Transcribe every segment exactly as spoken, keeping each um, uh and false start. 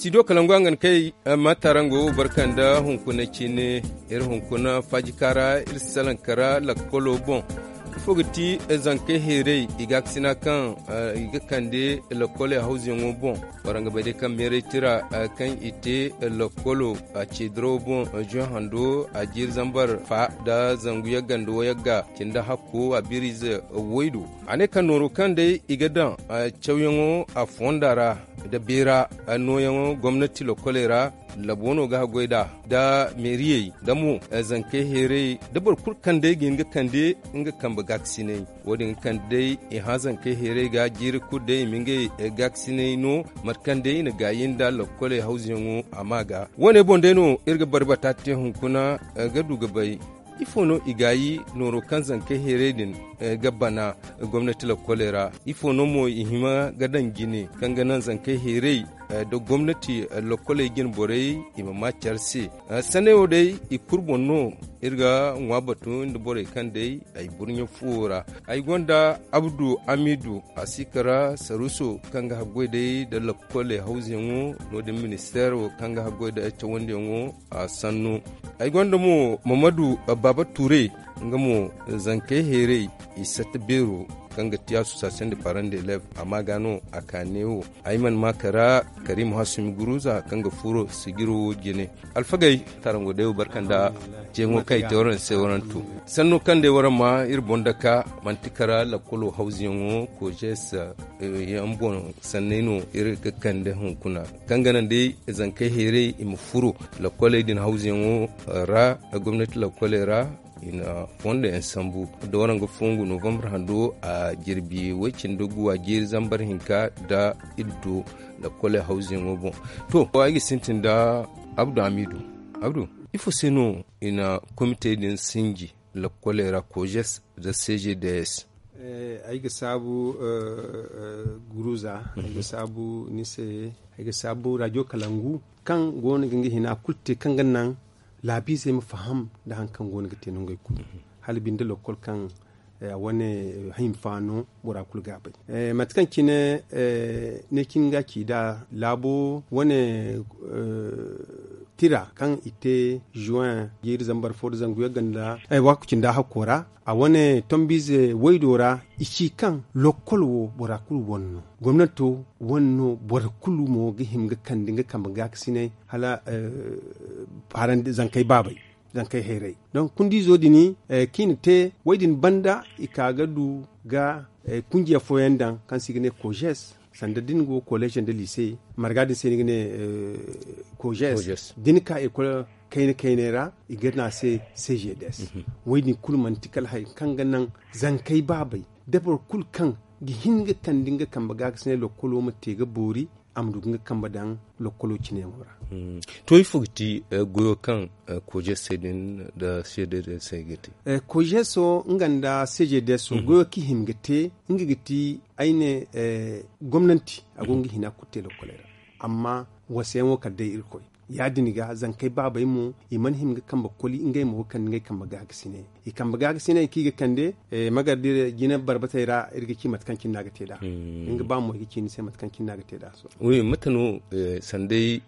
I do kala nga nga kay, ma tarango barka nda hunkuna cine. Iri hunkuna fajika ra iri salaŋ kara lakkolo boŋ. Ifo ga ti zankey heeray i ga a ga sina kaŋ i ga kande lakkoley hawzuyaŋo boŋ. Waraŋ ga bay day kaŋ meeray tira kaŋ i te lakkolo a ce dirawo boŋ. Juwan hando a jiiri zambar fa nda zangu yagga nda wayagga cindi hakko a birize. Waydu a ne kaŋ nooro kaŋ day i ga daŋ cawyaŋo a fonda ra nda beera nooyaŋo gomnati lokkoley ra. Labo no ga haggoy nd'a nda meeriyey nda mo zankey heeray nda boro kulu kaŋ day ga hin ga kande nga kambe gaakasinay. Wo- din ga kande day i hã zankey heeray ga jiiri kulu day i ma ngey gaakasinay no mate kaŋ day i na gaayi nda lokkoley hawzuyaŋo a ma ga. Wo- ne boŋ day no iri ga barbata te hunkuna ga du ga bay. Ifo no i gaayi nooro kaŋ zankey heeray din ga bana gomnati lokkoley ra? Ifo no mo i hima ga daŋ jine kaŋ ga naŋ zankey heeray nda gomnati lokkoley jine borey i ma ma care se? Sanney wo day i kulu boŋ no iri ga ŋwa batu nda borey kaŋ day ay burɲe fuwo ra. Ay gonda abdu amidu a si kara saruso kaŋ ga haggoy day nda lokkoley hawzuyaŋo. No- din ministeero kaŋ ga haggoy nda cawandiyaŋo a sannu. Ay gonda mo mamadu baaba tuure nga mo zankey heeray i satta beero kaŋ ga ti association de parent de lev a ma ga no a ka neewo. Ay mana ma kara karim hasumi guruza kaŋ ga furo sijiro wo jine. Alfagey tarango day wo barka nda ceeŋo kaŋ i te waraŋ se waraŋ tu. Sanno kaŋ day waraŋ ma iri boŋ daka manti kara lakkolo hawzuyaŋo kojes yaŋ boŋ sanney no iri ga kande hunkuna kaŋ ga naŋ day zankey heeray i ma furo lakkoley din hawzuyaŋo ra. Gomnati lakkoley ra i na fondo yaŋ sambu da waraŋ ga fongu novembre hando a jirbi way- cindi gu a jiiri zambar hinka nda iddo lakkoley hawzuyaŋo boŋ. To ay ga sintin nda abdu amidu. Abdu, ifo se no i na komitey din sinji lakkoley ra kojes nda cgds? Ay ga saabu guruza, ay ga saabu ni se, ay ga saabu radio kalangu kaŋ go no ga nga hina kulu te kaŋ ga naŋ laabiizey ma faham nda hari kaŋ go no ga te nongey kulu. Hala binde lokkol kaŋ a wane hima faano bora kulu ga a bay. Mate kaŋ cine ne cine ga ci nd'a laabo wane tira kaŋ i te juin jiiri zambar fo nda zangu yagga nda waaku cinda hakko ra a wane tombiize waydo ra i ci kaŋ lokkol wo bora kulu wane no. Gomnato wane no boro kulu mo ga hima ga kande nga kambe gaakasinay hala zankey baabey zankey hayray. Donk kundiizo din kaŋ i na te way din banda i ka ga du ga kunjiya fooyaŋ daŋ kaŋ se i ga ne kojes sanda da ni go koleez nda liise marga din se ni ga ne kojes da ni ka ekol kayna kaynay ra i ga ne a se cgds. Way din kulu manti kala hari kaŋ ga naŋ zankey baabey da boro kulu kaŋ ga hin ga kande nga kambe gaakasinay lokkolo ma te ga boori a ma du ga nga kambe daŋ lokkolo cineyaŋo ra. To ifo ga ti goyo kaŋ kojes se din nda cgds se ga te? Kojes wo nga nda cgds wo goyo kaŋ i hima ga te nga ga ti ay ne gomnanti a go nga hina kulu te lokkoley ra. Amma wasayaŋo kala day irkoy ya- din ga zankey baabey mo i mana hima ga kambe koli ngey mo ga kande ngey kambe gaakasinay. I kambe gaakasinay kaŋ i ga kande magardi jine barbatey ra iri ga ci mate kaŋ cine no a ga te nd'a. Nga ba mo i ga ci ni se mate kaŋ cine no a ga te nd'a. Mate no sanday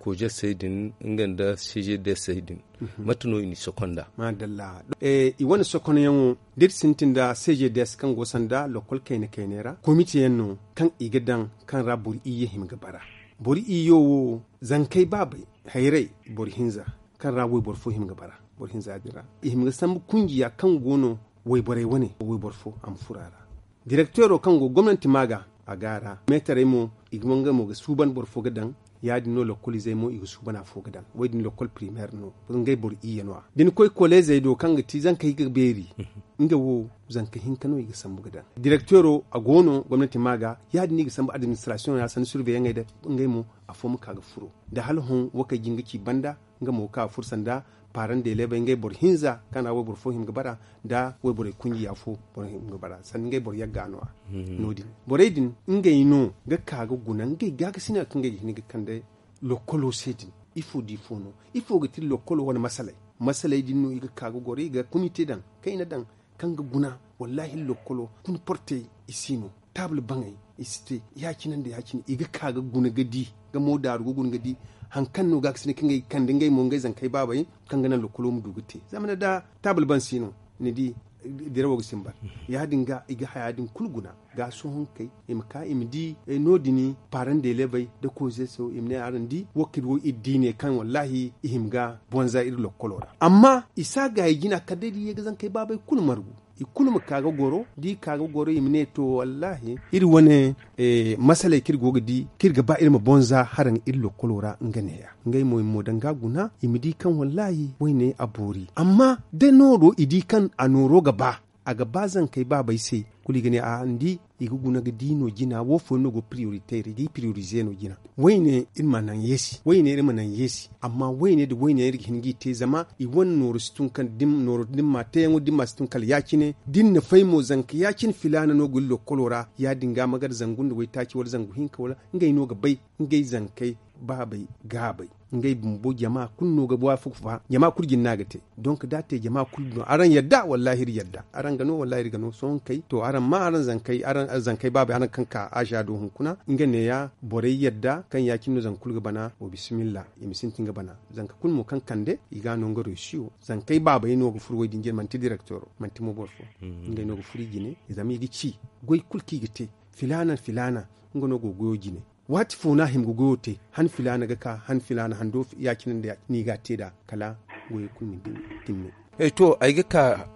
kojesey din nga nda cgdsey din mate no i n'i soko nd'a? Madalla. I wane sokonyaŋo da iri sintin nda cgds kaŋ go sanda lokkol kayna kaynay ra komite yaŋ no kaŋ i ga daŋ kaŋ ra boro iyye hima ga bara. Boro iyyo wo zankey baabey hayray boro hinza kaŋ ra wayboro fo hima ga bara. Boro hinza din ra i hima ga sambu kunjiya kaŋ go no wayborey wane wayboro fo a ma furo a ra. Direkteero kaŋ go gomnanti ma ga a ga a ra meetarey mo i ga mo ngey mo ga suuban boro fo ga daŋ. Ya- din no lokkoliizey mo i ga suuban afo ga daŋ. Way- din lokkol primeer no ngey boro iyye no- ya da ni koy koleezey do kaŋ ga ti zankey ga beeri nga wo zanka hinka no i ga sambu ga daŋ. Direkteero a go no gomnanti ma ga ya- din no i ga sambu administrasiyoŋ ra sanda surveyaŋey da ngey mo afo ma ka ga furo da hala hõ wo kay jin ga ci banda. Nga mo ga ka ga furo sanda paaraŋ deelebey ngey boro hinza kaŋ ra wayboro fo hima ga bara nda wayborey kunjiya fo boro hima ga bara sanda ngey boro yagga no- ya. No- din borey din ngey no ga ka ga guna ngey gaakasinay kaŋ ngey ga hin ga kande lokkolo se din. Ifo da ifo no? Ifo ga ti lokkolo wane masaley? Masaley din no i ga ka ga goro i ga komite daŋ kayna daŋ kaŋ ga guna. Wallaahi lokkolo kuna portey i si no taabul baŋey i si te. Ya- cine nda ya- cine i ga ka ga guna ga di ga mo daaru ga guna ga di haŋ kaŋ no ga ga sine kaŋ ga ay ga kande ngey mo ngey zankey baabey kaŋ ga naŋ lokkolo ma du ga te zama ni da taabal ban si no ni di dirawo ga simbar. Ya- din ga i ga haya din kulu guna ga sohõ kay i ma ka i ma di no- din paaraŋ deelebey nda kozeso i ma ne araŋ di wo kaŋ iri wo iri di ne kaŋ wallaahi i hima ga bonza iri lokkolo ra. Amma i si a gaayi jina kala day da i ye ga zankey baabey kulu margu i kulu ma ka ga goro da i ka ga goro i ma ne to wallaahi iri wane masaley kaŋ iri go ga di kaŋ iri ga ba iri ma bonza haraŋ iri lokkolo ra nga neeya ngey mo i ma mo daŋ ga guna i ma di kaŋ wallaahi wayne a boori amma da nooro i di kaŋ a nooro ga ba a ga ba zankey baabey se kulu i ga ne a'a ni di i ga guna ga di no jina wo fooyaŋ no go priyorite ra i ga i priyorize no jina. Wayne iri ma naŋ yeesi wayne iri ma naŋ yeesi amma wayne nda wayne yaŋ iri ga hin ga i te zama i wane nooru si tun kaŋ nooro da ni ma a teeyaŋo da ni ma si tun kala ya- cine da ni na fay mo zanka ya- cine filaana no go iri lokkolo ra ya- din ga ma gar zangu nda waytaaci wala zangu hinka wala ngey no ga bay ngey zankey baabey gaabey ngey bumbo jama kulu no ga waafaku fa jama kulu jine no a ga te. Donk da a te jama kulu no araŋ yadda wallaahi iri yadda araŋ ga no wallaahi iri ga no sohõ kay to araŋ ma araŋ zankey baabey araŋ kaŋ ka aza do hunkuna nga neeya borey yadda kaŋ ya- cine no zanka kulu ga bana wo bisimilla i ma sintin ga bana. Zanka kulu mo kaŋ kande i ga a no nga reesiyo zankey baabey no ga furo wo- din jine manti direktoro manti mo boro fo ngey no ga furo i jine zama i ga ci goy kulu kaŋ i ga te filaana filaana nga no go ga goyo jine waati fo no a hima ga goyo te han filaana ga ka han filaana hando ya- cine nda ya- cine i ga a te nd'a kala goyey kulu ma timme. To ay ga ka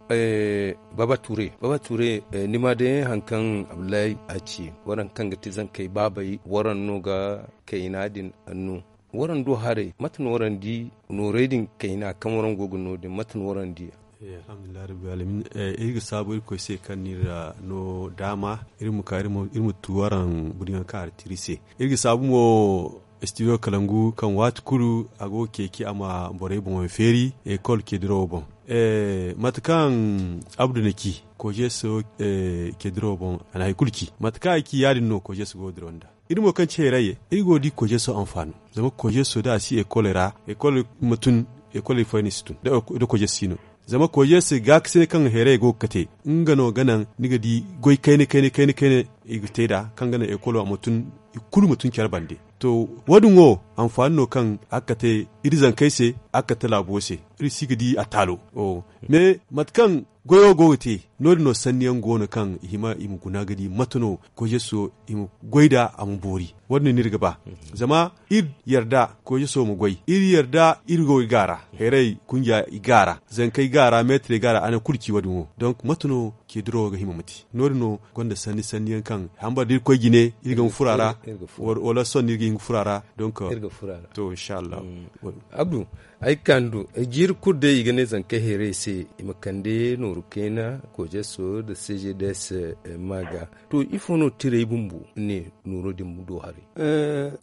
baba ture baba ture ni ma day hari kaŋ abdullahi a ci waraŋ kaŋ ga ti zankey baabey waraŋ no ga kayna din no waraŋ do haray mate no waraŋ di noorey din kayna kaŋ waraŋ go ga no din mate no waraŋ di a alhamdulillahi rabbil alamin. Iri ga saabu irkoy se kaŋ no iri ra no daama iri ma ka iri ma tu waraŋ burɲaŋ kaŋ a ra tira iri se iri ga saabu mo studio kalangu kaŋ waati kulu a go ga ceeci a ma borey boŋey feeri ekol cediro boŋ. Mate kaŋ abdu na ci kojeso cediro boŋ a na hari kulu ci mate kaŋ a ci ya- din no kojeso go ga diraw nd'a. Iri mo kaŋ ci hayray iri go ga di kojeso anfaano zama kojeso da a si ekoley ra ekoley ma tun ekoley fooyaŋ no si tun da kojeso si no. Zama kojeso gaakasinay kaŋ hayray go ga kate nga no ga naŋ ni ga di goy kayna kayna kayna kayna i ga te nd'a kaŋ ga naŋ ekolo a ma tun i kulu ma tun care bande. To wo- din wo anfaani no kaŋ a ga kate iri zankey se a ga kate laabo se iri si ga di a taalo. Me mate kaŋ goyo go ga te no- din no sanni yaŋ go no kaŋ i hima i ma guna ga di mate no kojeso i ma goy nd'a a ma boori. Wo- din no iri ga ba zama iri yarda kojeso ma goy iri yarda iri go i ga a ra hayray kunja i ga a ra zankey ga a ra meetirey ga a ra a na kulu ci wo- din wo donk mate no ceediro ga hima ma te no- din no gonda sanni sanni yaŋ kaŋ hambar da iri koy jine iri ga hin ga furo a ra wala sohõ no iri ga hin ga furo a ra donk to insa allahu. Abdu ay ga ka ni do jiiri kulu day i ga ne zankey hayray se i ma kande nooru kayna kojeso nda cgds ma ga to ifo no tiray bumbo ne nooro din do haray?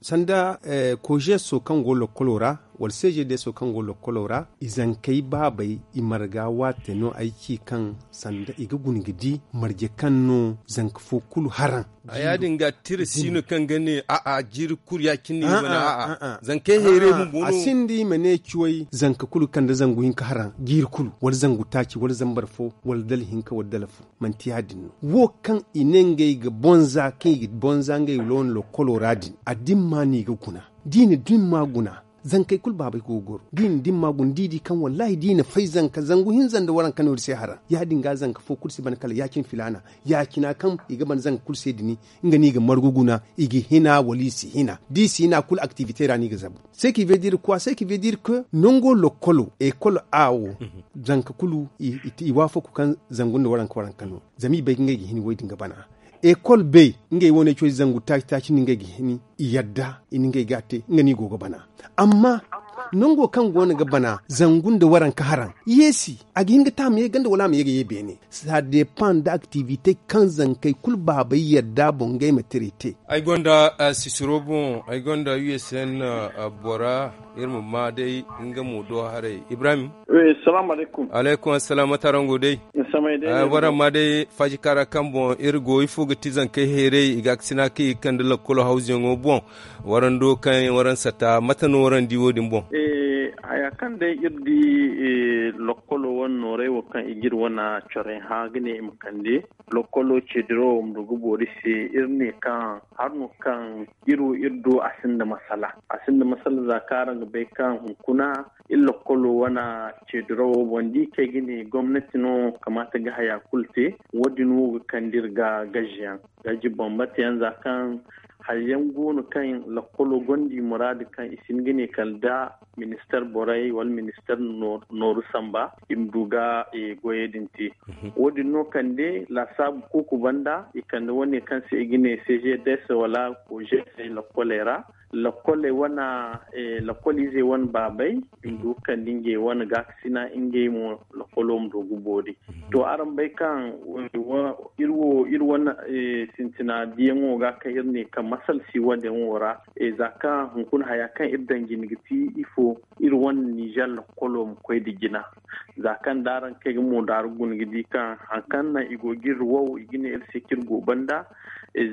Sanda kojeso kaŋ go lokkolo ra wala cgds kaŋ go lokkolo ra i zankey baabey i marga waate no ay ci kaŋ sanda i ga guna ga di marje kaŋ no zanka fo kulu haraŋ. Ya- din ga tira si no kaŋ ga ne a'a jiiri kulu ya- cine no i wane a'a zankey hayray bumbo no a sinda i ma ne ciway zanka kulu kaŋ nda zangu hinka haraŋ jiiri kulu wala zangu taaci wala zambar fo wala dala hinka wala dala fo. Manti ya- din no wo kaŋ i ne ngey ga bonza kaŋ i ga bonza ngey lokkolo ra din a dimma no i ga guna da i na dimma guna zankey kulu baabey go ga goro da i na dimma guna da i di kaŋ wallaahi da i na fay zanka zangu hinza nda waranka no iri se haraŋ ya- din ga zanka fo kulu si ban kala ya- cine filaana ya- cina kaŋ i ga ban zanka kulu se din nga no i ga margu guna i ga hina wala i si hina da i si hina kulu aktivite ra no i ga zabu. Seki vedir kuwa seki vedir ke nango lokkolo ekol a wo zanka kulu i waafaku kaŋ zangu nda waranka waranka no zama i bay ga ngey ga hini wo- din ga bana ekol bay ngey wane coy zangu taaci taaci no ngey ga hini i yadda i na ngey ga a te nga no i go ga bana. Amma nango kaŋ go no ga bana zangu nda waranka haraŋ yeesi a ga hin ga te a ma ye ganda wala a ma ye ga ye beene. Sa depan nda aktivite kaŋ zankey kulu baabey yadda boŋ ngey ma tiray te. Ay gonda sisiro boŋ ay gonda usn bora iri ma maa day nga mo do haray ibrahim. Alaykum assalam mate araŋ go day? Waraŋ maa day faji kaara kaŋ boŋ iri go ifo ga ti zankey heeray i ga a ga sina kaŋ i ga kande lakkolo hawzuyaŋo boŋ. Waraŋ do kaŋ waraŋ sata mate no waraŋ di wo- din boŋ? Haya kaŋ day iri di, lokkolo wane nooray wo kaŋ i ga iri wane corey hã ga ne i ma kande lokkolo ceedirawo ma du ga boori se. Iri ne kaŋ har no kaŋ iri wo iri do a sinda masala. A sinda masala za kaŋ araŋ ga bay kaŋ hunkuna iri lokkolo wane ceedirawo boŋ da i kay ga ne gomnati no kamaata ga haya kulu te. Wo- din wo ga kande iri ga gajiyaŋ gaji bambata yaŋ za kaŋ hari yaŋ go no kaŋ lakkolo gonda i muraadu kaŋ i si hin ga ne kala da ministar borey wala ministar nooru samba i ma du ga goyey din te. Wo- din no kande laasaabu kuuku banda i kande wane kaŋ se i ga ne cgds wala kojesey lakkoley ra. Lakkoley wane lakkol izey wane baabey i ma du ga kande ngey wane gaakasina ngey mo lakkolo ma du ga boori. To araŋ bay kaŋ iri wo iri wane sintina diyaŋo ga kaŋ iri ne ka masal si wo- din wo ra. Za kaŋ hunkuna haya kaŋ iri daŋ jine ga ti ifo iri wane nizer lakkolo ma koy nda jina. Za kaŋ da araŋ kay ga mo da araŋ guna ga di kaŋ hari kaŋ naŋ i go ga iri wow i ga ne iri se kaŋ iri go banda.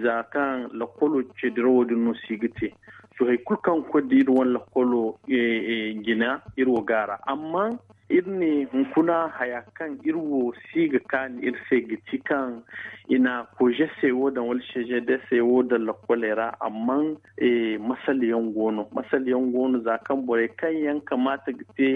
Za kaŋ lakkolo ceedirawo din no si ga te. To hari kulu kaŋ ga koy nda iri wane lakkolo jina iri wo ga a ra amma iri ne hunkuna haya kaŋ iri wo si ga kaanu iri se ga ti kaŋ i na kojesey wo daŋ wala cgdsey wo daŋ lakkoley ra amma masal yaŋ go no masal yaŋ go no za kaŋ borey kaŋ yaŋ kamaata ga te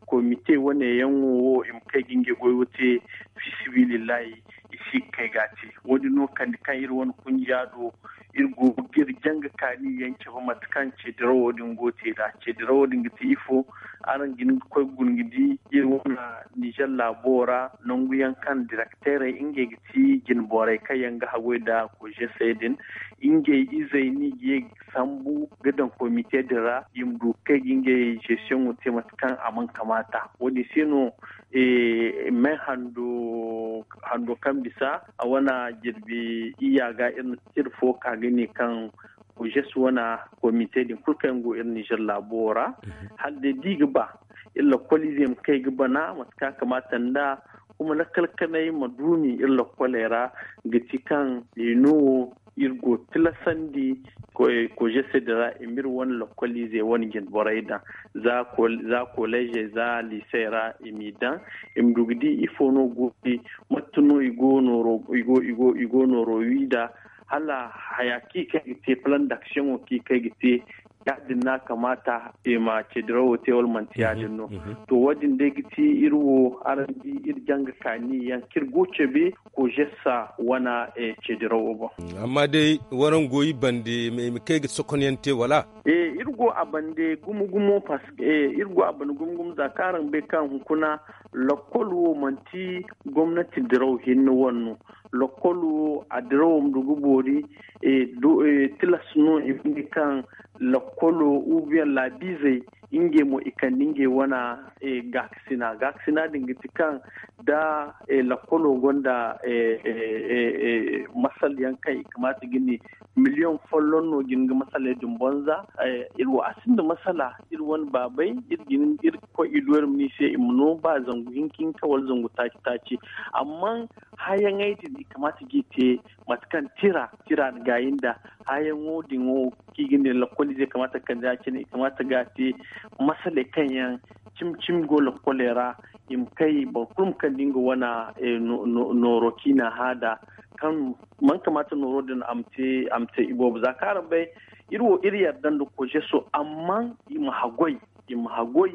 komite wane yaŋ wo i ma kay ga ngey goyo te. Fi sabilillahi i si ga kay ga a te. Wo- din no kande kaŋ iri wane kungiya do iri go ga iri jaŋ ga kaani yaŋ cabe mate kaŋ ceedirawo din go te nd'a. Ceedirawo din ga ti ifo? Araŋ ga hin ga koy ga guna ga di iri wane nizer laabo ra nangu yaŋ kaŋ direkteerey ngey ga ti jine borey kaŋ yaŋ ga haggoy nda kojesey din ngey izey no i ga ye ga sambu ga daŋ komite din ra i ma du ga kay ga ngey zesiyoŋo te mate kaŋ a mana kamaata. Wo- din se no me hando kaŋ bisa a wane jirbi iyya ga iri na tira fo ka ga ne kaŋ kojes wane komite din kulu kaŋ yaŋ go iri nizer laabo ra hala day da i ga ba iri lakkol izey ma kay ga bana mate kaŋ a kamaata nd'a. Kuma lakkal kanay ma duumi iri lakkoley ra ga ti kaŋ i no wo iri go tilasandi kojesey din ra i ma iri wane lakkol izey wane jine borey daŋ za kolezey za liisey ra i m'i daŋ i ma du ga di ifo no go ga te. Mate no i go nooro wi nd'a hala haya kaŋ i kay ga te plan d'action wo kaŋ i kay ga te ya- din no a kamaata i ma ceedirawo te wala manti ya- din no? To wo- din day ga ti iri wo araŋ di iri jaŋ ga kaani yaŋ kaŋ iri go cabe kojessa wane ceedirawo boŋ. Amma day waraŋ go i bande i ma kay ga sokonyaŋ te wala? Iri go a bande gumo gumo parceque iri go a bande gumo gumo za kaŋ araŋ bay kaŋ hunkuna lakkol wo manti gomnati diraw hinne wane no. Lakkol wo a dirawo ma du ga boori tilas no i ma ne kaŋ lakkolo ubiyaŋ laabiizey ngey mo i kande ngey wane gaakasina gaakasina din ga ti kaŋ da lakkolo gonda masal yaŋ kaŋ i kamaata ga ne miliyoŋ folloŋ no ga hin ga masaley din banza. Iri wo a sinda masala iri wane baabey iri ga hin iri ga koy i do iri ma ne i se i ma no ba zangu hinka hinka wala zangu taaci taaci. Amma hayaŋey din i kamaata ga i te mate kaŋ tira tira ga i nda hayaŋo din wo kaŋ i ga ne lakkol izey kamaata ga kande ya- cine i kamaata ga a te masaley kaŋ yaŋ cimi cimi go lakkoley ra i ma kay boro kulu ma kande nga wane nooro kaŋ i n'a hã nd'a kaŋ mana kamaata nooro din a ma te iboobo za kaŋ araŋ bay iri wo iri yarda nda kojeso amma i ma haggoy i ma haggoy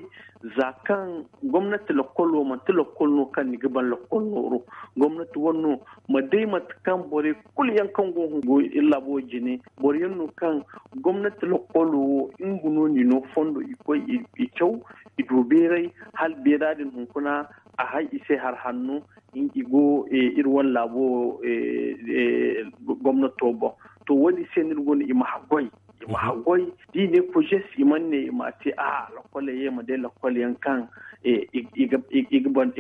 za kaŋ gomnati lakkol wo manti lakkol no kaŋ ni ga ban lakkol nooro. Gomnati wane no ma day mate kaŋ borey kulu yaŋ kaŋ go hungu iri laabo jine boro yaŋ no kaŋ gomnati lakkolo wo nga no ni no fondo i koy i caw i du beeray hala beera din hunkuna a hay i se har hanno i go iri wane laabo gomnato boŋ. To wo- din se no iri go no i ma haggoy i ma haggoy da i ne kojes i mana ne i ma te a lakkol yaŋ ye ma day lakkol yaŋ kaŋ i ga ban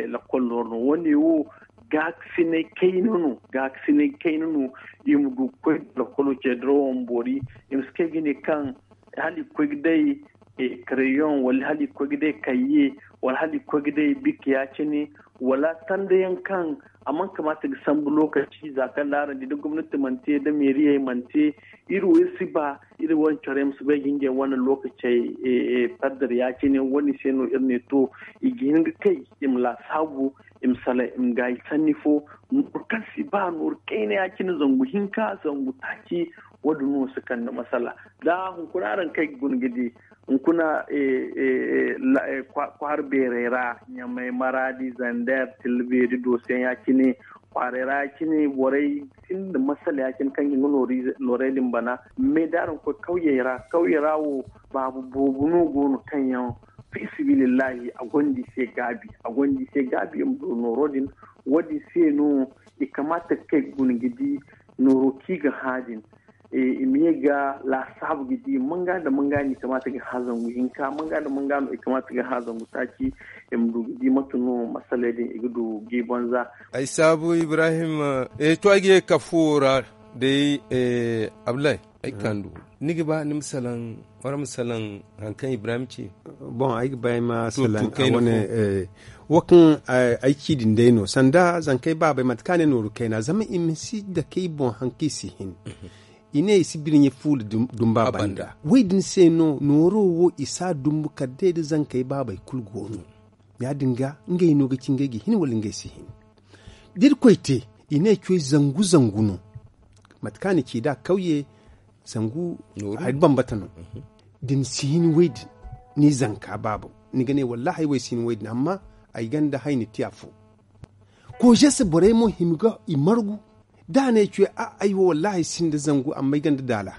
lakkol nooro no wo- ne wo gaakasinay kayna no gaakasinay kayna no. I ma du ga koy lakkolo ce dirawo ma boori i ma si kay ga ne kaŋ hala i ga koy ga day kareyoŋ wala hala i ga koy ga day kayye wala hala i ga koy ga day bik ya- cine, wala sanda yaŋ kaŋ a mana kamaata ga sambu lokaci za kaŋ da araŋ di da gomnati mana te da meeriyey mana te. Iri wo iri si ba iri wane corey ma si bay ga ngey wane lookacey faddar ya- cine. Wo- din se no iri ne to, i ga hin ga kay i ma laasaabu, i ma salaŋ i ma gaayi sanni fo. Nooru kaŋ si ba nooru kayna ya- cine zangu hinka zangu taaci. Wo- din no si kande masala da hunkuna araŋ kay ga guna ga di hunkuna kwaara beerey ra ɲamay maraadi zander tilbeeri doosiyaŋ ya- cine. Kwaaray ra ya- cine borey sinda masala ya- cine kaŋ ga nga noorey din bana. May da araŋ koy kawyey ra kawyey ra wo baabu boobo no go no kaŋ yaŋ fi sabilillahi a gonda i se gaabi a gonda i se gaabi i ma du nooro din. Wo- din se no i kamaata ga kay ga guna ga di nooro kaŋ i ga hã din. I ma ye ga laasaabu ga di manga nda manga no i kamaata ga hã zangu hinka manga nda manga no i kamaata ga hã zangu taaci. I ma du ga di mate no masaley din i ga du ga i banza. Ay saabu ibrahim. To ay ga ye ga ka fuwo ra day. Abdullahi, ay ga ka ni du ni ga ba ni ma salaŋ wala ma salaŋ hari kaŋ ibrahim ci. Boŋ ay ga ba ay ma salaŋ a wane. Wo kaŋ ay ci din day no sanda zankey baabey mate kaŋ a ne nooru kayna zama i ma si dake i boŋ hari kaŋ i si hin. I ne i si birɲe fuula dumba banda. Wo- din se no nooro wo i si a dumbu kala day da zankey baabey kulu go no. Ya- din ga ngey no ga ci ngey ga hin wala ngey si hin. Da irkoy te i ne coy zangu zangu no. Mate kaŋ a na ci nd'a kawye zangu hari bambata no. Da ni si hin wo- din ni zanka baabo ni ga ne wallaahi ay wo ay si hin wo- din amma ay gonda hayni te afo. Koyze se borey mo hima ga i margu da a ne ay coy a ay wo wallaahi ay sinda zangu amma ay gonda daala.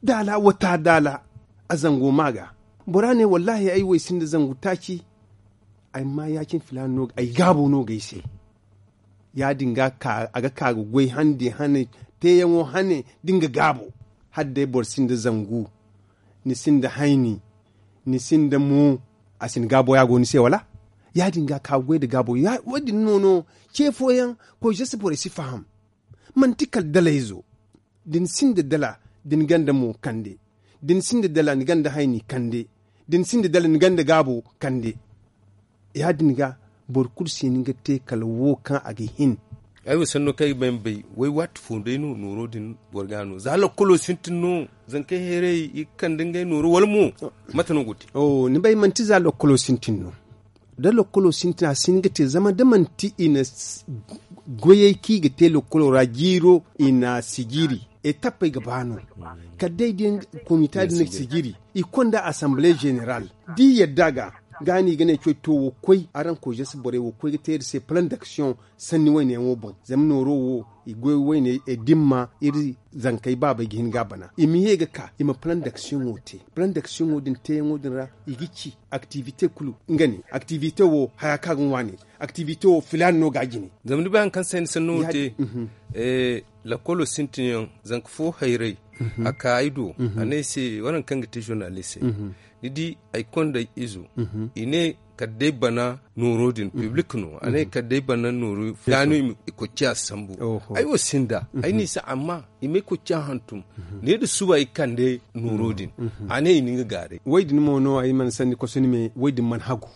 Daala wata daala a zango ma ga. Bora ne wallaahi ay wo ay sinda zangu taaci. Ay ma ya- cine filaana no ay gaabo no ga ay se. Ya- din ga a ga ka ga goy hande hane teeyaŋo hane da nga gaabo. Hala day boro sinda zangu ni sinda hayni ni sinda mo. A sinda gaabo ya go ni se wala? Ya- din ga a ka ga goy nda gaabo. Wo- din no no ce fooyaŋ koyze se borey si faham. Manti kala dalayzo da ni sinda dala da ni gonda mo kande. Da ni sinda dala ni gonda hayni kande. Da ni sinda dala ni gonda gaabo kande. Ya- din ga boro kulu si hin ga te kala wo kaŋ a ga hin. Ay wo sanno kaŋ ay ga bay ma bay way waati fo day no nooro din boro ga no za lakkolo sintin no. Zankey heeray i ga kande ngey nooro wala mo? Mate no go te? Ni bay manti za lakkolo sintin no. Da lakkolo sintin a si hin ga te zama da manti i na goyey kaŋ i ga te lakkolo ra jiiro i na sijiri. Etappey ga ba no kala day da komita din na sijiri i konda assemblée générale da i yadda ga. Ga no i ga ne coy to wa koy araŋ koyze se borey wa koy ga te iri se plan d'action. Sanni wayne yaŋo boŋ zama nooro wo i goy wayne dimma iri zankey baabey ga hin ga a bana i ma ye ga ka i ma plan d'action wo te. Plan d'action wo din teeyaŋo din ra i ga ci activité kulu nga ne activité wo haya kaŋ a ga ŋwa ne. Activité wo filaana no ga a jine. Zama ni bay hari kaŋ se ni sanno wo te. Lakkolo sintinyaŋ zanka fo hayray a ka ay do a ne ay se waraŋ kaŋ ga te journaliste. Ni di ay konda izo i ne kala day bana nooro din public no a ne kala day bana nooro filaano i koy ciya sambu. Ay wo sinda ay n'i se amma i m'ay koy ciya hantum. Ne da suba ay kande nooro din a ne i na nga gaaray. Wo- din mo no ay mana sanni koso ni me wo- din mana hagu.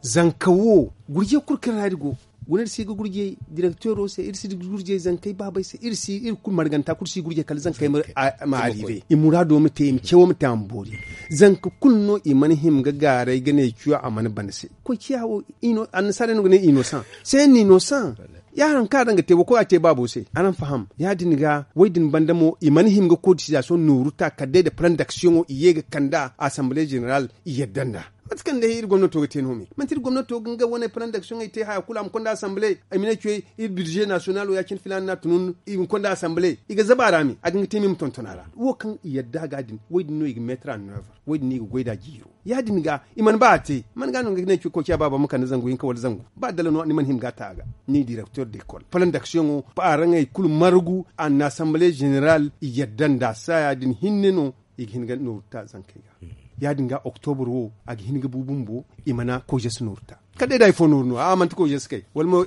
Zanka wo gurjey kulu kaŋ ra iri go guna iri si ga gurjey direktero se iri si ga gurjey zankey baabey se iri si iri kulu marganta kulu si gurjey kala zankey ma arrive i muraado ma te i ma cewo ma te a ma boori. Zanka kulu no i mana hima ga gaaray ga ne ciyo a mana bana se koy ciya wo annasaarey no ga ne innocent. C'est un innocent. Ya hari kaŋ a daŋ ga te wo koy a te baabo se araŋ faham ya- din ga wo- din banda mo i mana hima ga cotisation nooru ta kala day nda plan d'action wo i ye ga kande a assemblée générale i yadda nd'a. Mate kaŋ day iri gomnato ga te no me manti iri gomnato ga nga wane plan d'action ay te haya kulu a ma konda assemblée ay ma ne coy iri budget national wo ya- cine filaana na tunun i ma konda assemblée i ga zaba a ra me a ga nga te me ma tonton a ra. Wo kaŋ i yadda ga din wo- din no i ga mettre en œuvre wo- din no i ga goy nd'a jiiro. Ya- din ga i mana ba a te man ga no ga ne coy koy ciya baaba ma kande zangu hinka wala zangu ba dala no ni mana hima ga a ta a ga. Ni directeur d'école plan d'action wo araŋey kulu margu a na assemblée générale i yadda nd'a saaya din hinne no i ga hin ga nooru ta zankey ga. Ya- din ga octobre wo a ga hin ga bu bumbo i mana koyze se nooru ta kala day da hari fo nooru no a manti koyze se kay wala mo.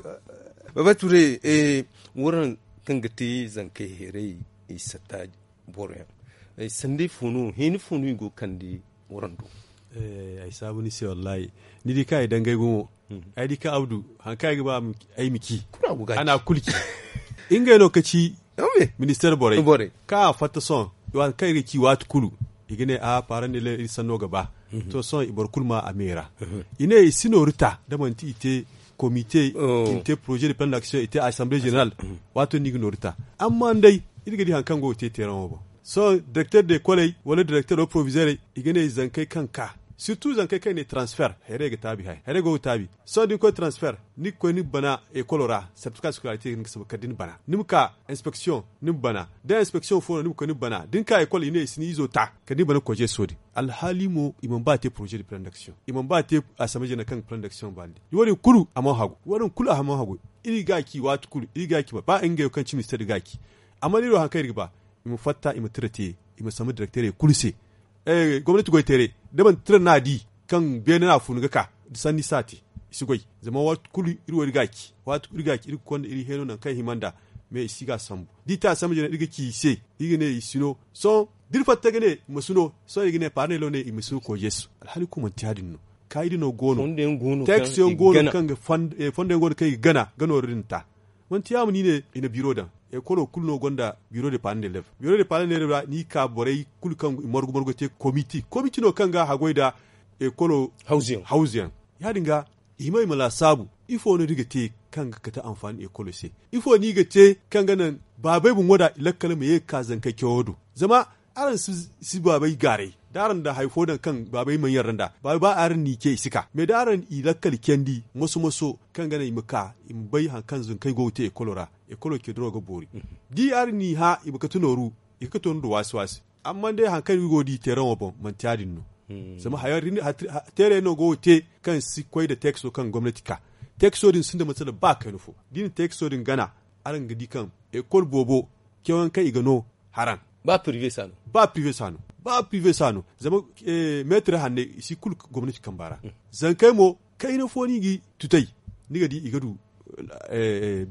Baba ture waraŋ kaŋ ga te zankey heeray i satta boroyaŋ sanday fo no hini fo no i go ga kande waraŋ do. Ay saabu ni se wallahi. Ni di kaŋ ay dangay gumo, ay di kaŋ abdu, hari kaŋ ay ga ba ay ma ci, a na a kulu ci. Ngey no ka ci ministeer borey kaŋ a fatta sohõ. Waati kaŋ iri ga ci waati kulu, i ga ne a paarandi le iri sanno ga ba. To sohõ i boro kulu ma a meera. I ne i si nooru ta da manti i te komite, i ma te poroze de plan d'action, i te asamble zeneral. Waato no i ga nooru ta. Amma day iri ga di hari kaŋ go ga te teeraŋo boŋ. Sohõ direkter de koley wala direkter wala porovizeerey, i ga ne zankey kaŋ ka sirtu zankey kaŋ i ne transfer. Hayrey ga taabi hay hayrey go ga taabi. Sohõ da ni koy transfer, ni ga koy ni bana ekolo ra, sertifika sikolarite ga ni ga saba kala da ni bana ni ma ka inspeksiyoŋ. Ni ma bana da inspeksiyoŋ fo no ni ma koy ni bana da ni ka ekolo i ne i si ni izo ta kala da ni bana kojeso din. Alhaali mo i mana ba te poroze de plan d'action, i mana ba te asamble zeneral kaŋ ga plan d'action baani. Wo- din kulu a mana hagu wo- din kulu a mana hagu. Iri ga a ci waati kulu iri ga a ci ba ngey wo kaŋ ci ministeer ga a ci. Amma da iri wo hari kaŋ iri ga ba, i ma fatta i ma tira te, i ma sambu direkteerey kulu se. Gomnati goy teerey da manti tira no a di kaŋ beene no a fun ga ka, da sanni si a te, i si goy. Zama waati kulu iri wo iri ga a ci, waati kulu iri ga a ci iri ga konda iri heeno nangu kaŋ i hima nd'a. Mais i si ga a sambu da i te a sambu jina iri ga ci i se, iri ga ne i si no. Sohõ da iri fatta ga ne i ma si no, sohõ iri ga ne paarandey no ne i ma si no koojeesu. Alhaali kulu manti ya- din no. Kaayi din no go no. Teeksiyaŋ go no kaŋ ga fondo yaŋ go no kaŋ i ga gana ga nooru din ta. Manti ya- ma no i ne i na biro daŋ. Ekolo kulu no gonda biro de paarandey lev. Biro de paarandey lev ra no i ka borey kulu kaŋ i margu margu ga te komiti komiti no kaŋ ga haggoy nda ekolo hawzu yaŋ. Ya- din ga i ma i ma laasaabu, ifo no iri ga te kaŋ ga kate anfaani ekolo se? Ifo no i ga te kaŋ ga naŋ baabey boŋo da i lakkal ma ye ga ka zankey cawo do? Zama araŋ si baabey gaaray da araŋ na hari fo daŋ kaŋ baabey mana yarda nd'a. Ba araŋ n'i ce i si ka mais da araŋ na i lakkal candi moso moso kaŋ ga naŋ i ma ka i ma bay hari kaŋ zankey go ga te ekolo ra. Ekolo ce dirawo ga boori. Da araŋ n'i hã i ma kate nooru, i ga kate nooru nda waasi waasi. Amma day hari kaŋ iri go ga di teeraŋo boŋ manti ya- din no. Zama teeray no go ga te kaŋ si koy nda teekiso kaŋ gomnati ka. Teekiso din sinda masala ba kayna fo. Da i na teekiso din gana, araŋ ga di kaŋ ekol boobo cawyaŋ kaŋ i ga no haraŋ. Ba pirive si a no. Ba pirive si a no. Zama meetire hanney i si kulu gomnati kamba ra. Zankey mo kayna fo no i ga tutay, ni ga di i ga du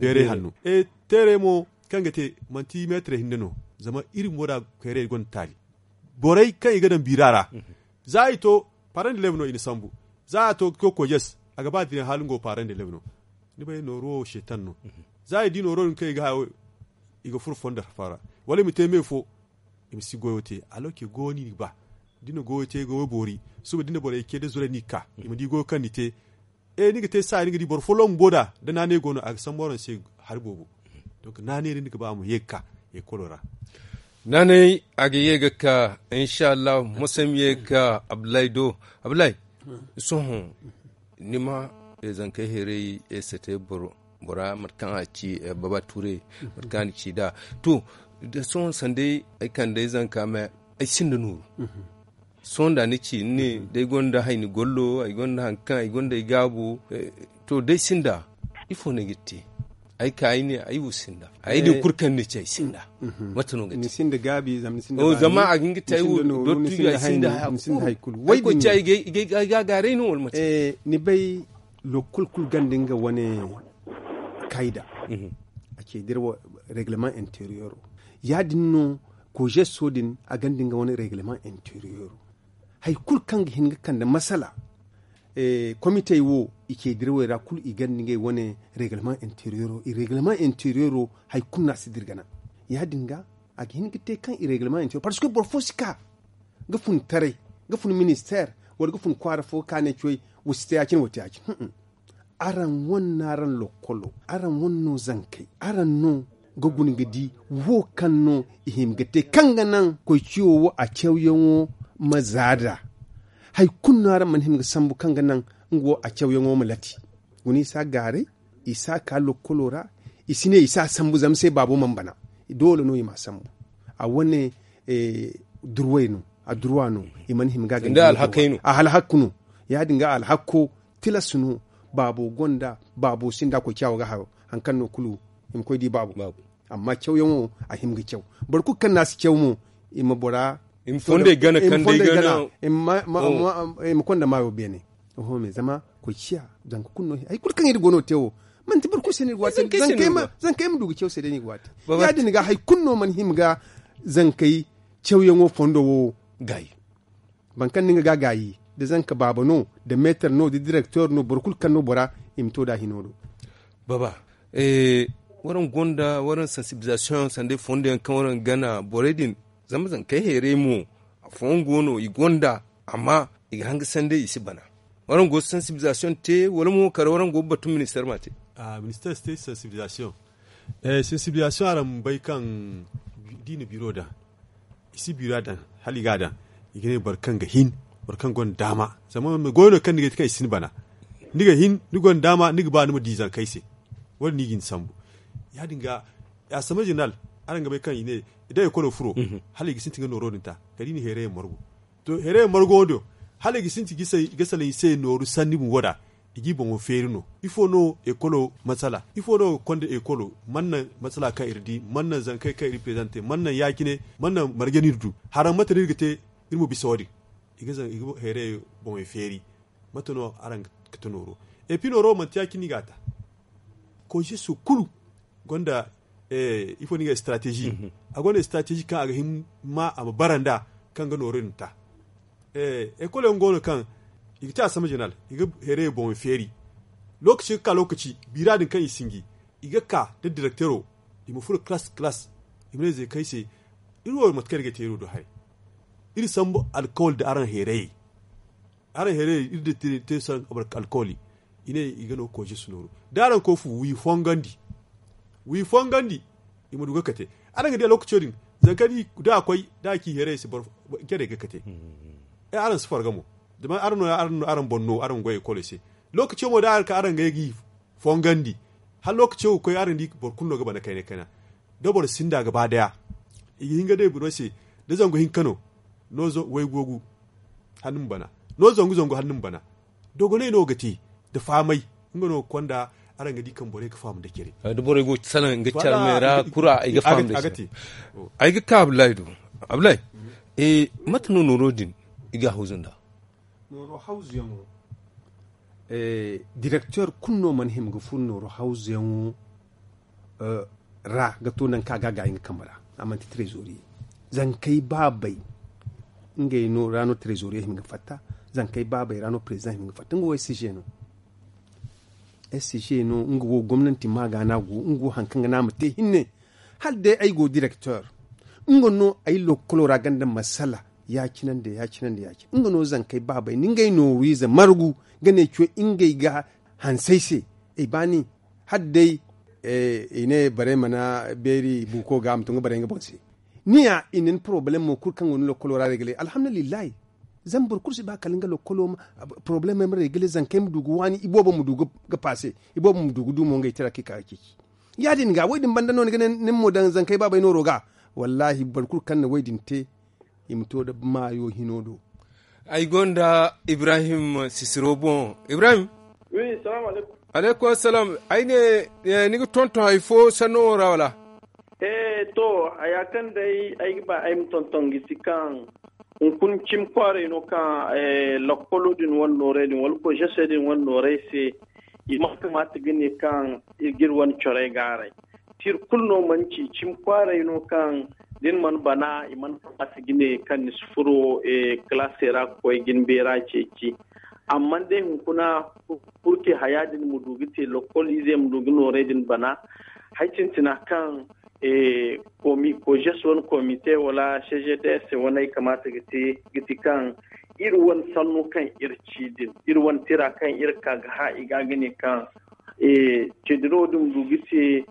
beeray hanno. Teeray mo kaŋ ga te manti meetire hinne no. Zama iri bumbo da kayray gonda taali. Borey kaŋ i ga daŋ biira ra, za i to parent de lev no i na sambu. Za a to ga koy kojes, a ga ba dina hala nga wo parent de lev no. Ni bay nooro wo seetan no. Za i di nooro din kaŋ i ga haya wo, i ga furo fondo fara wala i ma te me fo. I ma si goyo te. Aloke goyo no i ga ba. Da i na goyo te goyo boori. Suba da ni na borey ce da zure no i ga ka i ma di goyo kaŋ ni te. E ni ga te saaya ni ga di boro folloŋ bumbo da da naanay go no a ga sambu araŋ se. Hari boobo. Donk naanay din ni ga ba a ma ye ga ka ekolo ra. Naanay a ga ye ga ka. Insa allahu moso ay ma ye ga ka abdullahi do. Abdullahi, sohõ ni ma zankey heeray, sete bora mate kaŋ a ci baba ture, mate kaŋ a na ci nd'a. To, da sohõ sanday ay kande ay zanka me, ay sinda nooru. Sohõ da ni ci ni ne da ay gonda hayni gollo, ay gonda hari kaŋ ay gonda ay gaabu. To da ay sinda, ifo no ay ga te? Ay ka ay ne ay wo sinda. Ay din kulu kaŋ ni ci ay sinda. Mate no ga te? Zama a ga hin ga te ay wo dottijo ay sinda haya kulu. Ay koy ci ay ga ay ga gaaray no wala mate? Ni bay lokol kulu gonda nga wane kayda. A ce dira wo reglement interieur. Ya- din no kojeso din a gonda nga wane reglement interieur. Hari kulu kaŋ ga hin ga kande masala, komitey wo i ce dirawey ra kulu i gonda ngey wane reglement interieur. I reglement interieur hari kulu no a si dira ga naŋ. Ya- din ga a ga hin ga te kaŋ i reglement interieur parce que boro fo si ka ga fun taray, ga fun ministeer wala ga fun kwaara fo ga ka ne ci way, wa si te ya- cine wa te ya- cine. Araŋ wane no araŋ lokkolo, araŋ wane no zankey, araŋ no ga guna ga di wo kaŋ no i hima ga te kaŋ ga naŋ koy ciyo wo a cawyaŋo ma za nd'a. Hari kulu no araŋ mana hima ga sambu kaŋ ga naŋ nga wo a cawyaŋo ma lati. Guna i si a gaaray, i si a ka lokkolo ra. I si ne i si a sambu zama se baabo mana bana. Doole no i m'a sambu. A wane durway no, a durwa no. I mana hima ga a ga nda alhakay no. A alhakku no. Ya- din ga alhakko tilas no. Baabo gonda, baabo sinda koy ciya wo ga haro hari kaŋ no kulu i ma koy di baabo. Amma cawyaŋo a hima ga caw. Boro kulu kaŋ no a si caw mo, i ma bora i ma fondey gana kandey gana. I ma konda maayo beene. Oho me zama koy ciya zanka kulu no hari kulu kaŋ iri go no te wo. Manti boro kulu se no iri go a te. Zankey ma du ga caw se day no iri go a te. Ya- din ga hari kulu no mana hima ga zankey cawyaŋo fondo wo gaayi. Boro kaŋ no nga ga a gaayi, da zanka baaba no, da meetar no, da direktor no, boro kulu kaŋ no bora, i ma to da hino do. Baba, waraŋ gonda waraŋ sansibilizasiyoŋ sanda fondo yaŋ kaŋ waraŋ gana borey din. Zama zankey heeray mo, afooyaŋ go no i gonda, amma i ga hanga sanday i si bana. Waraŋ go sansibilizasiyoŋ te wala mo kala waraŋ go ga batu ministeer ma te? Ministeer si te sansibilizasiyoŋ. Sansibilizasiyoŋ araŋ ma bay kaŋ da i na biro daŋ, i si bira daŋ, hala i ga a daŋ, i ga ne boro kaŋ ga hin, boro kaŋ gonda daama. Zama goyo no kaŋ ni ga te kaŋ i si ni bana. Ni ga hin, ni gonda daama, ni ga ba ni ma di zankey se. Wo- din no i ga ni sambu. Ya- din ga, asama zinal, araŋ ga bay kaŋ i ne, da ekolo furo, hala i ga sintin ga nooro din ta, kala i na heeray yaŋ margu. To heeray yaŋ margo wo do, hala i ga sintin ga salaŋ i se nooru sanni bumbo da, i ga i boŋo feeri no. Ifo no ekolo masala? Ifo no ga konda ekolo? Man naŋ masala kaŋ iri di? Man naŋ zankey kaŋ iri prezante? Man naŋ ya- cine? Man naŋ marje no iri du? Haraŋ mate no iri ga te? Iri ma bisa wo- din. I ga heeray boŋey feeri. Mate no araŋ ga te nooro? Epi nooro manti ya- cine i ga a ta. Kozeso kulu gonda ifo no i ga estratezi. A gonda estratezi kaŋ a ga hin ma a ma bara nd'a, kaŋ ga nooro din ta. Ekol yaŋ go no kaŋ i ga te asama zinal, i ga heeray boŋey feeri. Lookaci ga ka lookaci, biira din kaŋ i sinji, i ga ka nda direktero, i ma furo kalaas kalaas, i ma ne zeekey se, iri wo mate kaŋ iri ga te iri wo do haray. Iri sambu alkawal nda araŋ heerayey. Araŋ heerayey iri da te sanda alkawali. I ne i ga no kozeso nooru. Da araŋ koy fu wi fongandi, wi fongandi, i ma du ga kate. Araŋ ga di a lookaco din, zanka da a koy, da a ci heerayey se boro care ga kate. Araŋ si farga mo. Zama araŋ no araŋ boŋ no araŋ goy ekoley se. Lookaco mo da araŋ ka araŋ ga ye ga i fongandi, hala lookaco ga koy araŋ di boro kulu no ga bana kayna kayna. Da boro sinda gaba daya, i ga hin ga day boro se, da zangu hinka no, no waygu waygu, hala ni ma bana. No zangu zangu hala ni ma bana. Dogonay no ga te nda fahamay. Nga no ga konda araŋ ga di kaŋ borey ga faham nda care. Da borey go ga salaŋ nga care me ra kura ay ga faham nda care. Ay ga ka abdullahi do. Abdullahi, mate no nooro din i ga hawzu nda? Nooro hawzuyaŋo, direkter kulu no mana hima ga furo nooro hawzuyaŋo ra ga to nangu kaŋ a ga a gaayi nga kambe ra. A manti trezoriye. Zankey baabey, ngey no ra no trezoriye hima ga fatta. Zankey baabey ra no prezidaŋ hima ga fatta nga wo s g no. S g no nga wo gomnanti ma ga no a go nga wo hari kaŋ ga no a ma te hinne. Hala day ay go direkter, nga no ay lokkolo ra gonda masala ya- cine nda ya- cine nda ya- cine. Nga no zankey baabey na ngey nooru ize margu ga ne coy ngey ga hansey se. Ay baani, hala day i ne barey mana beeri buuko ga a ma to nga barey nga boŋ se. Ni ya i na ni porobalem mo kulu kaŋ go ni lokkolo ra regle alhamdulillahi. Zama boro kulu si ba kala nga lokkolo ma porobalem ma regle zankey ma du ga waani iboobo ma du ga paase. Iboobo ma du ga du mo ngey tira kaŋ i ka ga ceeci. Ya- din ga wo- din banda no ni ga ne ni ma mo daŋ zankey baabey nooro ga. Wallaahi boro kulu kaŋ na wo- din te, i ma to nda maayo hino do. Ay gonda ibrahim sisiro boŋ ibrahim. Aleykum assalam. Ay ne, ni ga tonton hari fo sanno wo ra wala? Ee to, haya kaŋ day ay ga ba ay ma tonton ga ti kaŋ hunkuna cimi kwaaray no kaŋ lakkolo din wane nooray din wala kožesey din wane nooray se. I mana kamaata ga ne kaŋ iri ga iri wane corey gaaray. Te iri kulu no manci cimi kwaaray no kaŋ da ni mana bana i mana kamaata ga ne kaŋ ni si furo kalaasey ra ga koy ga ni beera ceeci. Amma day hunkuna, purke haya din ma du ga te lakkol izey ma du ga nooray din bana. Hari sintina kaŋ kožes wane komite wala cgts wane ay kamaata ga te ga ti kaŋ iri wane sanno kaŋ iri ci din, iri wane tira kaŋ iri ka ga hã i ga ga ne kaŋ cediro din ma du ga te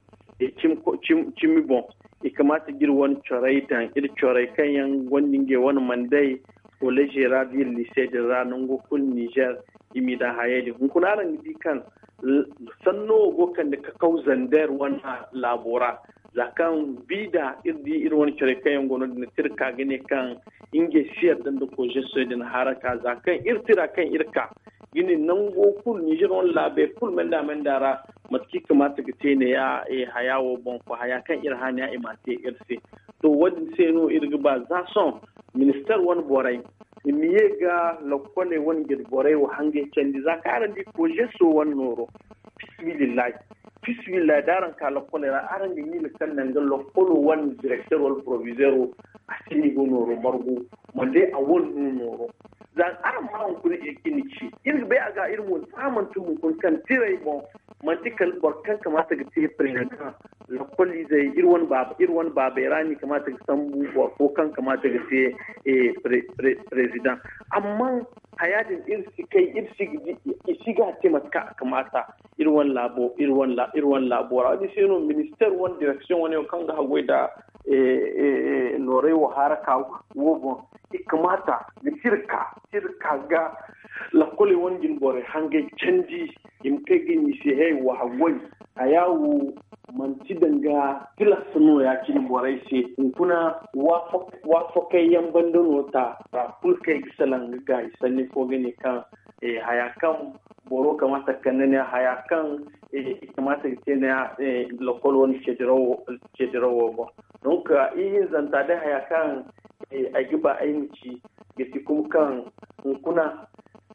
cimi boŋ. I kamaata ga iri wane corey daŋ iri corey kaŋ yaŋ gonda ngey wane manday, kolejey ra da iri lise din ra nango kulu nizer. I m'i daŋ hayey din hunkuna araŋ ga di kaŋ sanno wo go kande kakaw zander wane laabo ra. Za kaŋ bi da iri di iri wane corey kaŋ yaŋ go no din tira ka ga ne kaŋ ngey si yadda nda kožesoy din haraka za kaŋ iri tira kaŋ iri ka ga ne nango kulu nizer wane laabey kulu menda menda ra. Mate kaŋ i kamaata ga te ne ya haya wo boŋ fo haya kaŋ iri hane ya i m'a te iri se. To wo- din se no iri ga ba za sohõ minister wane borey i ma ye ga lokkoley wane jirborey wo hangey candi za kaŋ araŋ di kožeso wane nooro. Fisabilillahi, fisabilillahi da araŋ ka lokkoley ra araŋ ga ɲina kaŋ nanga lokkolo wane direkter wala porovizer wo a si ni go nooro margu. Mande a wane no nooro. Za araŋ ma hunkuna iri ga ni ci, iri ga bay a ga iri mo za manti hunkuna kaŋ tiray boŋ, manti kala boro kaŋ kamaata ga te president. Lakkol izey iri wane baaba iri wane baabey ra no i kamaata ga sambu boro fo kaŋ kamaata ga te president. Amma haya din iri si kay iri si ga te mate kaŋ a kamaata. Iri wane laabo ra wo- din se no ministeer wane direksiyoŋ wane yaŋ kaŋ ga haggoy nda nooray wo haraka wo boŋ, i kamaata ga tirka tirka ga lakkoley wane jine borey hangay candi. I ma kay ga ni se hey wa haggoy. Haya wo manti danga tilas no ya- cine borey se hunkuna waafakay yaŋ banda no ta ra kulu kaŋ ay ga salaŋ ga ga i sanni fo ga ne kaŋ haya kaŋ boro kamaata ga kande ne haya kaŋ i kamaata ga te ne. Lakkol wane ceedirawo boŋ. Donc ihinzanta day haya kaŋ ay ga ba ay ma ci ga ti kuma kaŋ hunkuna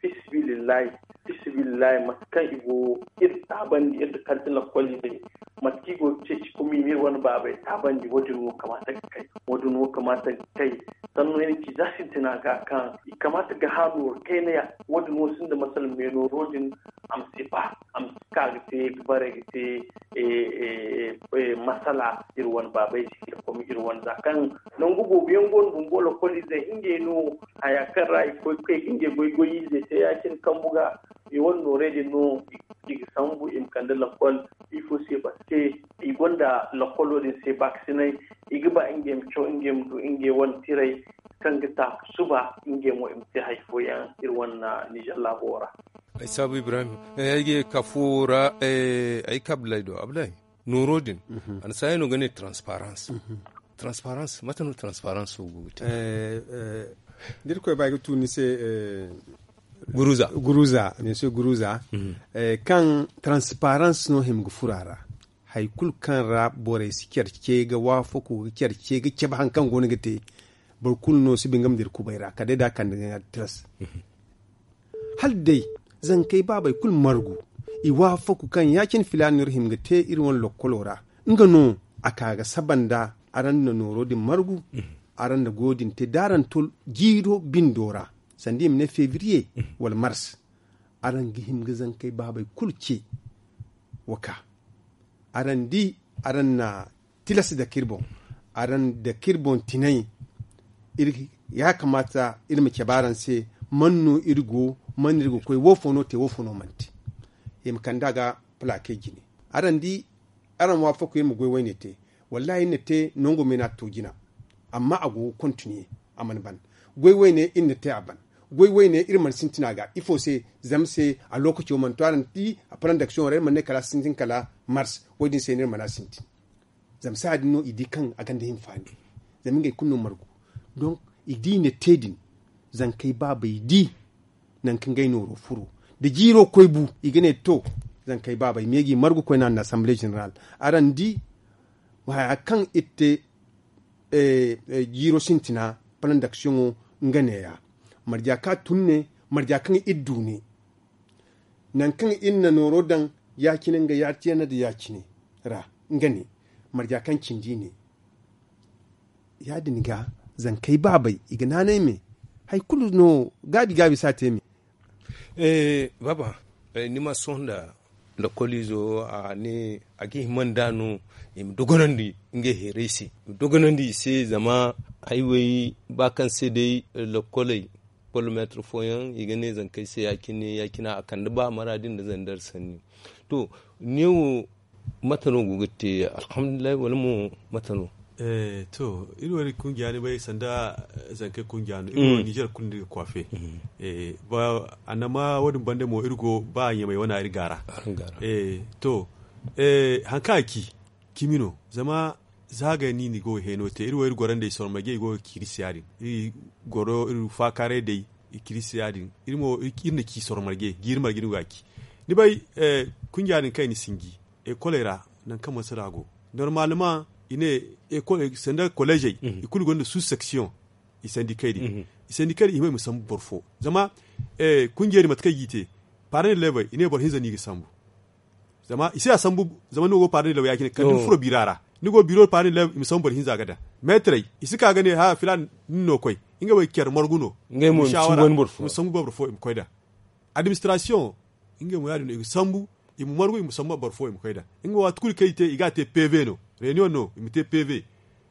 fisibilillahi fisibilillahi mate kaŋ i go iri taabandi iri ga kande lakkol izey mate kaŋ i go ga ceeci kuma i ma iri wane baabey taabandi wo- din wo kamaata ga kay. Wo- din wo kamaata ga kay sannu yaŋ ci za sintina ga kaŋ i kamaata ga haaru kayna ya wo- din wo sinda masala meenooro din a ma si ba a ma si ka ga te ga bare ga te masala iri wane baabey se iri wane za kaŋ nangu boobo yaŋ go no bumbo lakkol izey ngey no haya kaŋ ra i koy ga kay ga ngey goy goy izey te ya- cine kambu ga i wane noorey din no i ga sambu i ma kande lakkol ifo se ba se i gonda lakkolo din se baakasinay i ga ba ngey ma caw ngey ma du ngey wane tiray kaŋ ga ta suba ngey mo i ma te hari fooyaŋ iri wane nizer laabo ra. Ay saabu ibrahim ay ga ka fo ra ay ka abdulay do abdulay nooro din a na saaya no ga ne transparence. Transparence mate no transparence wo go ga te? Da iri koy ba ay ga tu ni se guruza guruza monsieur guruza kaŋ transparence no hima ga furo a ra. Hari kulu kaŋ ra borey si care ce ga waafaku ga care ce ga cabe hari kaŋ go no ga te boro kulu no si ba nga ma dira kubay ra kala day da a kande nga tilas. Hala day zankey baabey kulu margu i waafaku kaŋ ya- cine filaana no iri hima ga te iri wane lokkolo ra. Nga no a ka ga saba nda araŋ na nooro din margu. Araŋ na goyo din te da araŋ to jiiro bindo ra sanda i ma ne febriye wala mars. Araŋ ga hima ga zankey baabey kulu ce wa ka araŋ di araŋ na tilas dake iri boŋ. Araŋ dake iri boŋ tinay iri ya kamaata iri ma cabe araŋ se man no iri go man no iri ga koy woofo no te woofo no mana te. I ma kande a ga palaakey jine araŋ di araŋ waafaku iri ma goy wayne te. Wallaahi iri na te nango me no a to jina. Amma a go ga kontiniye a mana ban goy wayne iri na te a ban. Goy wayne iri mana sintin a ga ifo se? Zama se a lookaco mana to araŋ di a parandaksiyoŋo ra iri mana ne kala a sintin kala mars. Wo- din se no iri mana a sintin. Zama saaya din no i di kaŋ a gonda hinfaani. Zama ngey kulu no margu donk i di i na te din. Zankey baabey di nangu kaŋ ngey nooro furo da jiiro koy bu i ga ne to zankey baabey meeji margu koyne a na asamble jeneral. Araŋ di haya kaŋ iri te jiiro sintina palandaksiyoŋo nga neeya. Marja kaŋ a tun ne marja kaŋ iri du ne. Nangu kaŋ iri na nooro daŋ ya- cine nga ya- cine nda ya- cine ra nga ne marja kaŋ cindi ne. Ya- din ga zankey baabey i ga naanay me hari kulu no gaabi gaabi si a te me. Baaba, ni ma sohõ nda lakkoliizo a ne a ga hima nda no i ma dogonandi ngey heerey se i ma dogonandi i se zama ay wey ba kaŋ se day lakkoley polomeetar fooyaŋ i ga ne zankey se ya- cine ya- cine a kande ba mara din nda zandar sanni. To, neewo mate no go ga te alhamdulillahi wala mo mate no? To, iri wo iri kungiya ni bay sanda zankey kungiya no iri wo nizer kulu no iri ga kwaafe. Annama wo- din banda mo iri go ba ɲamay wana iri gaara. To, hari kaŋ a ci cimi no zama za ga ni ni go ga heeno te iri wo iri goro nd'ey sormajey i go ga ciiri se ya- din. Iri goro iri faakaaray day i ciiri se ya- din iri mo iri na ci sormajey jiiri marje no ga ci. Ni bay, kungiya din kaŋ i na sinji ekoley ra nangu kaŋ masara go normalement i ne sanda kolejey i kulu gonda sous section. I sandikey din i sandikey din i hima i ma sambu boro fo zama kungiyey din mate kaŋ i g'i te paran da leebey i ne boro hinza no i ga sambu. Zama i si a sambu zama ni wo go paran da leebey ya- cine kala da ni furo biira ra ni go biiro paran da leebey i ma sambu boro hinza ga daŋ. Meetarey i si ka ga ne ha filaana, ni no koy. Ngey wo i care margu no. Ngey mo i ma sambu boro fo i ma koy nd'a. Administrasiyoŋo ngey mo ya- din no i ga sambu. I ma margu i ma sambu boro fo i ma koy nd'a. Nga waati kulu kaŋ i te i ga a te pv no. Reniyoŋ no i ma te pv.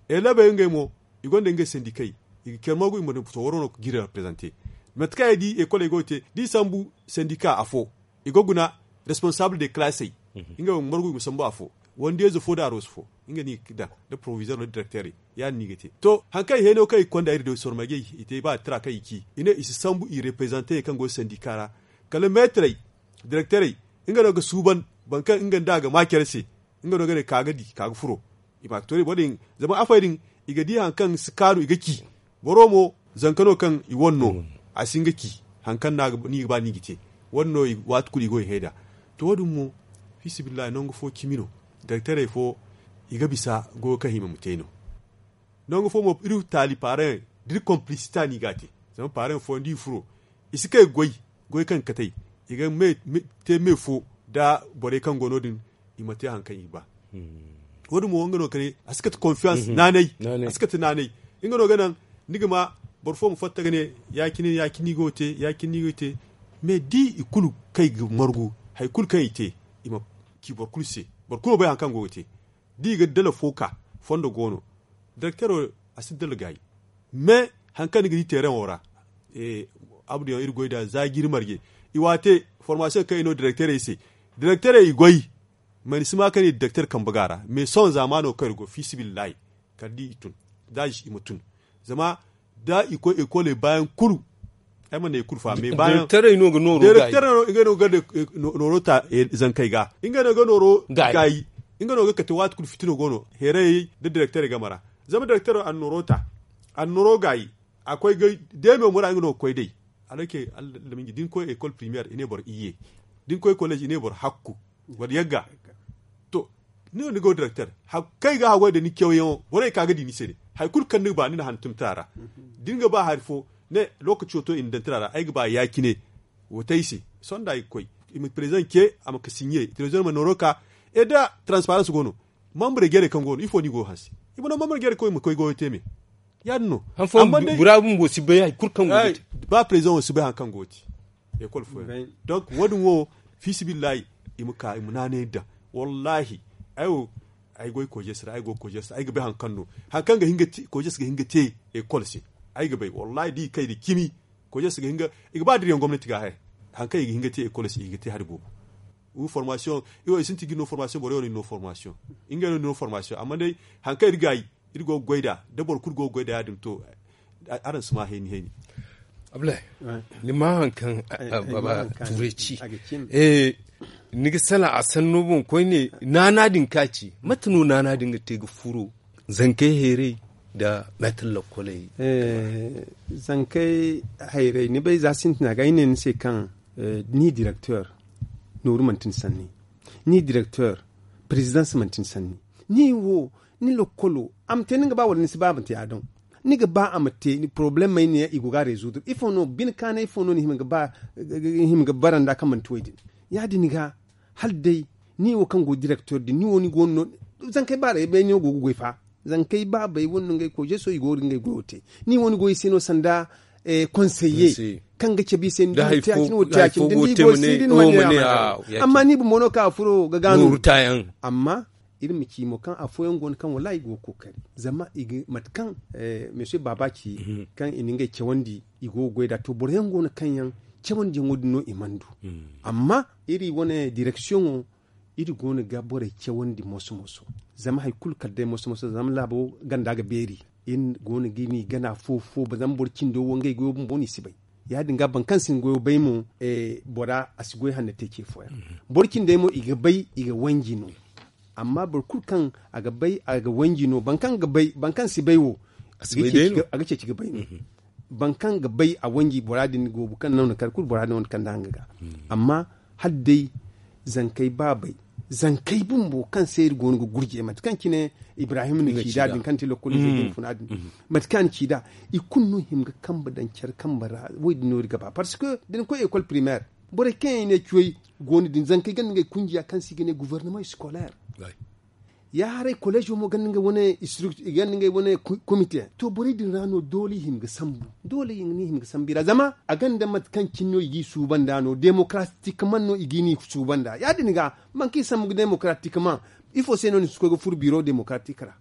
Elebey ngey mo i gonda ngey sandikey. I ga care margu i ma ne sowaro no ga iri reprezante. Mate kaŋ ay di ekoley go ga te da i sambu sandika afo, i ga guna responsable de classey. Ngey wo i ma margu i ma sambu afo. Wande ize fo da aroos fo. Nga no i ga daŋ da porovizer no da direkterey. Ya- din no i ga te to hari kaŋ i heenay wo kaŋ i ga konda iri do sormajey i te ba tira kaŋ i ci i ne i si sambu i reprezante kaŋ go sandika ra. Kala meetarey direkterey nga no ga suuban boro kaŋ nga nda a ga ma care se. Nga no ga ne ka ga di ka ga furo. I ma a ga toori boro din zama afey din i ga di hari kaŋ si kaanu i ga ci. Boro mo zanka no kaŋ i wane no. A si hin ga ci hari kaŋ no a ga ba no i ga te. Wane no waati kulu i go i hay nd'a. To wo- din mo fiisabilillahi nangu fo cimi no. Direkterey fo i ga bisa goyo kaŋ hima ma te no. Nangu fo mo iri taali paarayaŋ da iri konpilisita no i ga a te. Zama paarayaŋ fooyaŋ da i furo i si kay ga goy goy kaŋ ga katay. I ga te me fo nda borey kaŋ go no- din i ma te hari kaŋ i ga ba. Wo- din mo nga no ga ne a si kate konfiyans naanay. A si kate naanay. Nga no ga naŋ ni ga ma boro fo ma fatta ga ne ya- cine ya- cine i go ga te ya- cine i go ga te. Me da i kulu kaŋ i ga margu hari kulu kaŋ i te i ma ci boro kulu se. Boro kulu ma bay hari kaŋ go ga te. Da i ga dala fo ka fondo go no. Direktero a si dala gaayi. Me hari kaŋ ni ga di teereŋo ra abduyaŋ iri goy nd'a za jiiri marje. I waate formasiyoŋ kaŋ i no direkterey se direkterey i goy. Manti si ma kaŋ i direkter kambe ga a ra mais sohõ zaamaano kaŋ iri go fiisabilillahi. Kala da i tun da i ma tun. Zama da i koy ekoley baayaŋ kulu. Ay mana ne kulu fa mais baayaŋ direkterey no ga nooro gaayi. Ngey no ga nooro ta zankey ga. Ngey no ga nooro gaayi. Nga no ga kate waati kulu fitino go no heerayey nda direkterey game ra. Zama direktero a na nooro ta a na nooro gaayi. A koy ga deeme mo ra nga no ga koy day. Alake allaminji da ni koy ekol primeer i ne boro iyye. Da ni koy kolleez i ne boro hakku. Boro yagga. To ni no ni go direkter. Kaŋ i ga haggoy da ni cawyaŋo borey ka ga di ni se ne. Hari kulu kaŋ ni ga ba ni na hantum te a ra. Da ni ga ba hari fo ne lookaco to i na daŋ te ra ra ay ga ba ya- cine. Wo te ay se. Sonda i ga koy i ma perezidaŋ ce a ma ka siɲe telebiziyoŋ ma nooro ka. E da taransiparans go no. Mambure jeerey kaŋ go no ifo no i go ga hanse? I ma no mambure jeerey kaŋ i ma koy goyo te me. Ya- din no. Amma day bura bumbo si bay hari kulu kaŋ go ga te. Ba perezidaŋo si bay hari kaŋ go ga te. Ekol fooyaŋ donk wo- din wo fiisabilillahi. I ma ka i ma naanay daŋ. Wallahi ay wo ay goy kojes ra ay go kojes ra ay ga bay hari kaŋ no. Hari kaŋ ga hin ga te kojes ga hin ga te ekol se. Ay ga bay wallahi da i kay nda cimi. Kojes ga hin ga i ga ba dirayaŋ gomnati ga haray. Hari kaŋ i ga hin ga te ekol se i ga te hari boobo. Iri formasiyoŋ iri wo i sintin ga iri no formasiyoŋ boro yaŋ no iri no formasiyoŋ. Ngey no iri no formasiyoŋ amma day hari kaŋ iri gaayi iri go ga goy nd'a da boro kulu go ga goy nd'a ya- din to. Araŋ si ma hayni hayni. Ablahi, ni ma hari kaŋ baba tuurey ci. Ni ga salaŋ a sanno boŋ koyne naana din kaŋ a ci mate no naana din ga te ga furo? Zankey hayray nda meetar lakkoley. Zankey hayray ni bay za sintina ga ay ne ni se kaŋ ni direkter nooru manti ni sanni. Ni direkter perezidans manti ni sanni. Ni wo ni lakkolo a ma te ni ga ba wala ni si ba a ma te a daŋ. Ni ga ba a ma te porobalem may ne yaŋ i go ga a rezudur ifo no bine kaanay ifo no ni hima ga bara nd'a kaŋ manti wo- din. Ya- din ga hala day ni wo kaŋ go direkter din ni wo ni go no zankey baarey bay no go ga goy fa. Zankey baabey wane no ngey kojeso i go ga ngey goyo te. Ni wo ni go i se no sanda konseye kaŋ ga cabe i se ni wo te ya- cine da ni go i se ni ma ne amma ni bumbo no kaŋ a furo ga gaanu. Amma iri ma ci mo kaŋ afooyaŋ go no kaŋ wallaahi i go ga kookari zama mate kaŋ monsieur baaba ci kaŋ i na ngey cawandi i go ga goy nd'a to boro yaŋ go no kaŋ yaŋ cawandiyaŋo din no i mana du. Amma iri wane direksiyoŋo iri go no ga borey cawandi moso moso. Zama hari kulu kala day moso moso zama laabo ganda ga beeri. Iri go no ga iri n'i gana fo fo zama boro cindo wo ngey goyo bumbo no i si bay. Ya- din ga boro kaŋ si ni goyo bay mo bora a si goy hanno te ce fooyaŋ. Boro cindey mo i ga bay i ga wanji no. Amma boro kulu kaŋ a ga bay a ga wanji no boro kaŋ si bay wo a ga ceeci ga bay no. Boro kaŋ ga bay a wanji bora din goobu kaŋ no na kar kulu bora din wane kaŋ da nga ga. Amma hala day zankey baabey zankey bumbo kaŋ se iri go no ga gurje mate kaŋ cine ibrahim na ci nd'a din kaŋ te lokkol ize din funa din. Mate kaŋ a na ci nd'a i kulu no hima ga kambe daŋ care kambe ra wo- din no iri ga ba parce que da ni koy ekol primeer borey kaŋ yaŋ i ne cuway go no din zankey gonda ngey kunjiya kaŋ se i ga ne guvernement scolaire. Ya haray koleezo mo ganda ngey wane istruct i ganda ngey wane komite to borey din ra no doole i hin ga sambu. Doole i hin ga sambu i ra zama a ganda mate kaŋ cine no i g'i suuban da no demokaratikaman no i g'i ni suuban da ya- din ga. Manka i sambu ga demokaratikaman ifo se no ni si koy ga furo biro demokaratiki ra?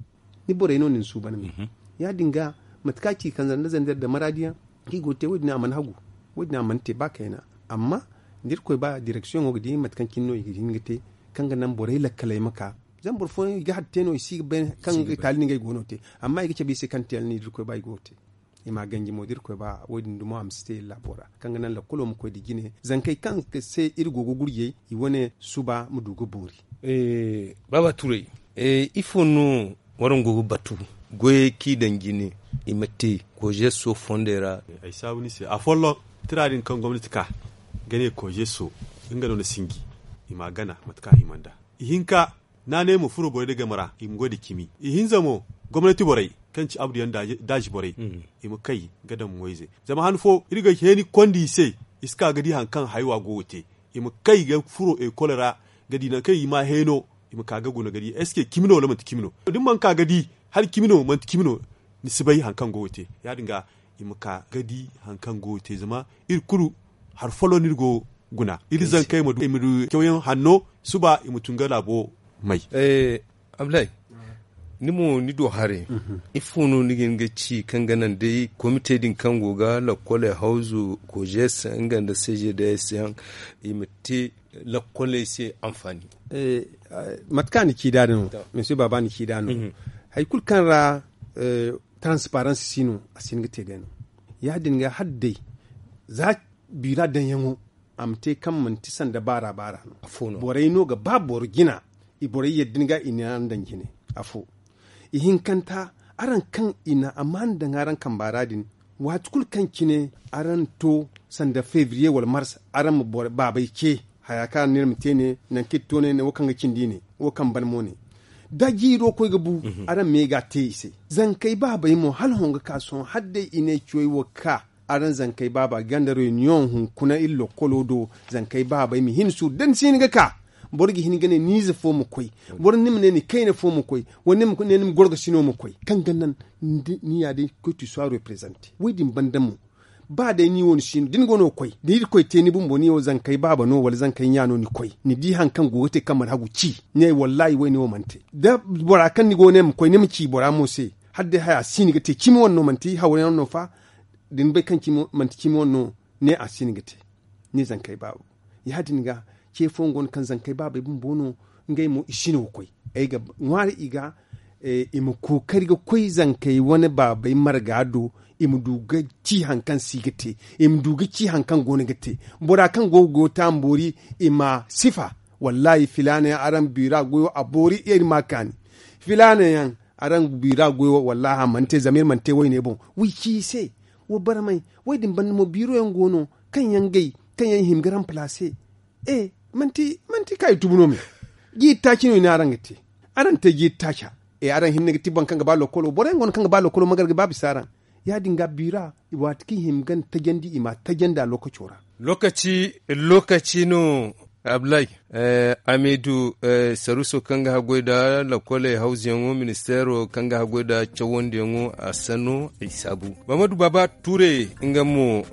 Ni borey no ni na suuban me. Ya- din ga mate kaŋ a ci i kanzanda zandar nda maraadi yaŋ kaŋ i go ga te wo- din a mana hagu. Wo- din a mana te ba kayna. Amma da irkoy ba direksiyoŋo ga di mate kaŋ cine no i ga hin ga te kaŋ ga naŋ borey lakkaley ma ka. Zama boro fooyaŋ i ga hari te no i si ga bay kaŋ ga taali no ngey go no ga te. Amma i ga cabe i se kaŋ taali no da irkoy ba i go ga te. I ma a ganji mo da irkoy ba wo- din dumo a ma si te iri laabo ra kaŋ ga naŋ lakkolo ma koy nda jine zankey kaŋ se iri go ga gurjey i wane suba ma du ga boori. Baaba turay, ifo no waraŋ go ga batu goyey kaŋ i daŋ jine i ma te kozeso fondey ra? Ay saabu ni se afolloŋ tira din kaŋ gomnati ka ga ne kozeso nga no na sinji i ma a gana mate kaŋ a hima nd'a. Ihinka naanay ma furo borey nda game ra i ma goy nda cimi. Ihinza mo gomnati borey kaŋ ci abdu yaŋ daaji borey i ma kay ga daŋ moyze. Zama han fo iri ga heeni konda i se i si ka ga di hari kaŋ haywa go ga te. I ma kay ga furo ekol ra ga di nangu kaŋ i ma heeno i ma ka ga guna ga di eske cimi no wala manti cimi no? Da ni mana ka ga di hala cimi no manti cimi no ni si bay hari kaŋ go ga te. Ya- din ga i ma ka ga di hari kaŋ go ga te zama iri kulu hari folloŋ no iri go ga guna iri zankey ma du cawyaŋ hanno suba i ma tun ga laabo may. Ablahi, ni mo ni do haray ifo no ni ga hin ga ci kaŋ ga naŋ day komite din kaŋ go ga lakkoley hawzu kozees nga nda sezedes yaŋ i ma te lakkoley se anfaani? Mate kaŋ a na ci nd'a no, mise baaba na ci nd'a no. Hari kulu kaŋ ra transparans si no a si hin ga te day no. Ya- din ga hala day za biira daŋyaŋo a ma te kaŋ manti sanda baara baara no. Borey no ga ba boro jina i borey yadda ni ga i na araŋ daŋ jine. Afo ihinkanta araŋ kaŋ i na amaana daŋ araŋ kamba ra din waati kulu kaŋ cine araŋ to sanda febriye wala mars araŋ ma baabey ce haya kaŋ araŋ ne iri ma te ne nangu kaŋ iri to ne wo kaŋ ga cindi ne wo kaŋ ban mo ne. Da jiiro koy ga bu araŋ me ga a te i se. Zankey baabey mo hala hõ ga ka sohõ hala day i ne ciwey wo ga ka araŋ zankey baaba ganda reyuniyoŋ hunkuna iri lokkolo do. Zankey baabey ma hin suuru da ni si hin ga ka boro ga hin ga ne ni ize fo ma koy boro ni ma ne ni kayna fo ma koy wala ni ma ne ni ma gorgasino ma koy kaŋ ga naŋ ni ya day koy tu soit reprezante wo- din banda mo. Ba day ni wo ni si no da ni go no ga koy da irkoy te ni bumbo ni wo zankey baaba no wala zankey ɲa no ni koy ni di hari kaŋ go ga te kaŋ mana hagu ci ne wallahi wo- ne wo mana te. Da bora kaŋ ni go ne ma koy ni ma ci bora mo se hala day haya si ni ga te cimi wane no manti hawra yaŋ no fa. Da ni bay kaŋ manti cimi wane no ne a si ni ga te. Ni zankey baaba ya- din ga ce fooyaŋ go no kaŋ zankey baabey bumbo no ngey mo i si no ga koy. Ay ga ŋwaari i ga i ma kookari ga koy zankey wane baabey marga do i ma du ga ci hari kaŋ si ga te i ma du ga ci hari kaŋ go no ga te. Bora kaŋ go ga goyo taama boori i ma sifa. Wallahi filaana yaŋ araŋ biira goyo a boori iri ma a kaani. Filaana yaŋ araŋ biira goyo wallahi a mana te zama iri mana te wayne boŋ. Wi ci i se. Wo barmay wo- din banda mo biiro yaŋ go no kaŋ yaŋ gay kaŋ yaŋ hima ga rampalaase. E manti manti kaŋ i tubu no me. Jiiri taaci no i ne araŋ ga te. Araŋ te jiiri taaca. E araŋ hinne ga ti boro kaŋ ga ba lokkolo boro yaŋ go no kaŋ ga ba lokkolo ma gar ga ba bisa araŋ. Ya- din ga biira waati kaŋ i hima ga ni tajandi i ma a tajandi a lookaco ra. Lookaci lookaci no. Ablahi, amidu saruso kaŋ ga haggoy nda lakkoley hawzuyaŋo ministeero kaŋ ga haggoy nda cawandiyaŋo a sanno ay saabu. Mamadu baaba tuure nga mo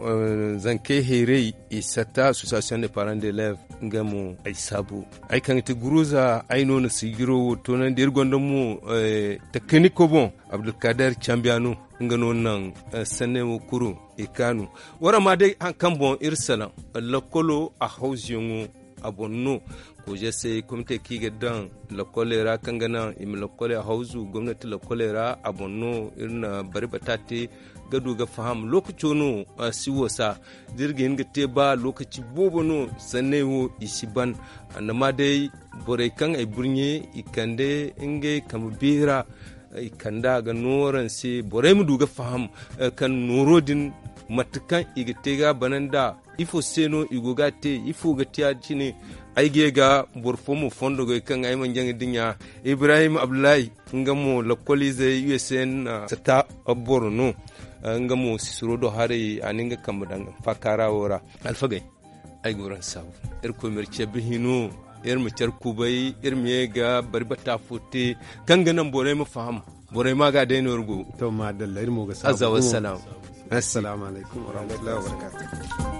zankey hayrey i satta asosiyasiyoŋ de paran de lev. Nga mo ay saabu. Ay kaŋ ga ti guruza ay no na sijiro wo toonandi iri gonda mo takaniko boŋ. Abdulkader cambiyaano nga no naŋ sanney wo kuru i kaanu. Waraŋ ma day hari kaŋ boŋ iri salaŋ lakkolo a hawzuyaŋo a boŋ no. Koze se komite kaŋ i ga daŋ lakkoley ra kaŋ ga naŋ i ma lakkoley hawzu gomnati lakkoley ra a boŋ no. Iri na bari bata te ga du ga faham lookaco no a si wasa. Da iri ga hin ga te ba lookaci boobo no sanney wo i si ban. Annama day borey kaŋ ay burɲe i kande ngey kambe beera i kand'a ga nooraŋ se borey ma du ga faham kaŋ nooro din mate kaŋ i ga te ga a bana nd'a. Ifo se no i go ga a te? Ifo ga te ya- cine? Ay ga ye ga boro fo mo fondo goy kaŋ ay mana jaŋ dinya ibrahim abdullahi. Nga mo lakkoliizey u s n sata boro no. Nga mo sisiro do haray a na nga kambe daŋ faakaara wo ra. Alfagey, ay ga waraŋ saabu. Irkoy ma iri ceebe hino. iri ma care kubay, iri ma ye ga bari bata fo te, kaŋ ga naŋ borey ma faham, borey ma ga day no iri go. To, madalla, iri mo ga saabu. Azza wassalam. Merci. Assalamu alaikum warahmatullahi wabarakatuh.